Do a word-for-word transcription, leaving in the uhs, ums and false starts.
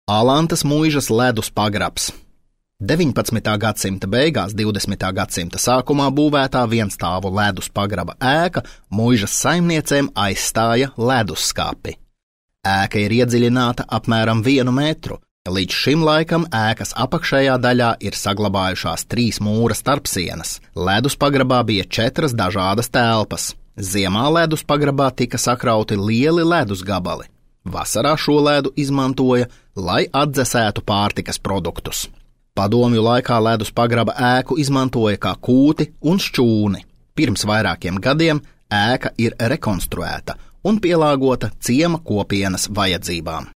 Alantas muižas ledus pagrabs. deviņpadsmitā gadsimta beigās, divdesmitā gadsimta sākumā būvētā vienstāvu ledus pagraba ēka muižas saimniecēm aizstāja ledusskapi. Ēka ir iedziļināta apmēram vienu metru. Līdz šim laikam ēkas apakšējā daļā ir saglabājušās trīs mūra starpsienas. Ledus pagrabā bija četras dažādas telpas. Ziemā ledus pagrabā tika sakrauti lieli ledus gabali. Vasarā šo ledu izmantoja, lai atdzesētu pārtikas produktus. Padomju laikā ledus pagraba ēku izmantoja kā kūti un šķūni. Pirms vairākiem gadiem ēka ir rekonstruēta un pielāgota ciema kopienas vajadzībām.